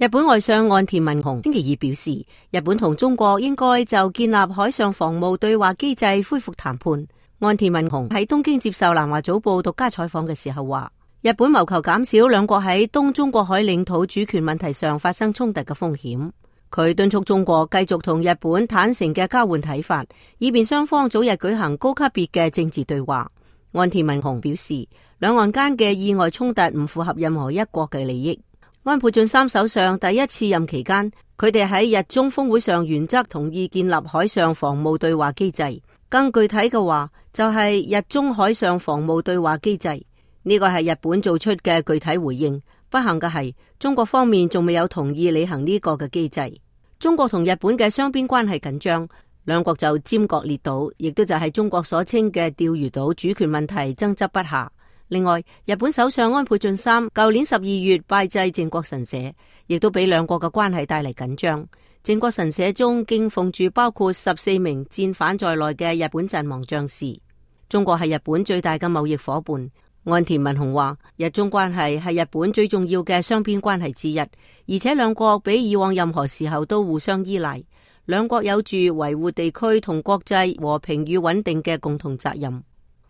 日本外相岸田文雄星期二表示，日本同中國應該就建立海上防務對話機制恢復談判。岸田文雄喺東京接受南華早報獨家採訪嘅時候話，日本謀求減少兩國喺東中國海領土主權問題上發生衝突嘅風險。佢敦促中國繼續同日本坦誠嘅交換睇法，以便雙方早日舉行高級別嘅政治對話。岸田文雄表示，兩岸間嘅意外衝突唔符合任何一國嘅利益。安倍晉三首相第一次任期間，佢哋喺日中峰會上原則同意建立海上防務對話機制。更具體嘅話，就係日中海上防務對話機制。呢個係日本做出嘅具體回應。不幸嘅係，中國方面仲未有同意履行呢個嘅機制。中國同日本嘅雙邊關係緊張，兩國就尖閣列島，亦都就係中國所稱嘅釣魚島主權問題爭執不下。另外，日本首相安倍晉三舊年12月拜祭靖國神社，亦都俾兩國嘅關係帶嚟緊張。靖國神社中敬奉住包括14名戰犯在內嘅日本陣亡將士。中國係日本最大嘅貿易夥伴。岸田文雄話，日中關係係日本最重要嘅雙邊關係之一，而且兩國比以往任何時候都互相依賴。兩國有住維護地區同國際和平與穩定嘅共同責任。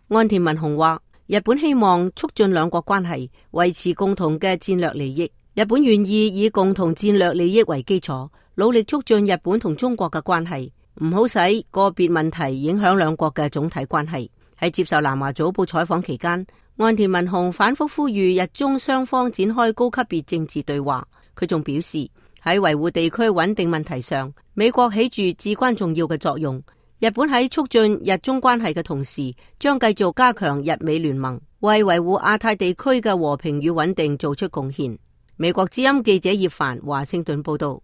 岸田文雄話，日本希望促進兩國關係，維持共同嘅戰略利益。日本願意以共同戰略利益為基礎，努力促進日本同中國嘅關係，唔好使個別問題影響兩國嘅總體關係。喺接受南華早報採訪期間，岸田文雄反覆呼籲日中雙方展開高級別政治對話。佢仲表示，喺維護地區穩定問題上，美國起住至關重要嘅作用。日本喺促進日中關係嘅同時，將繼續加強日美聯盟，為維護亞太地區嘅和平與穩定做出貢獻。美國之音記者葉凡華盛頓報道。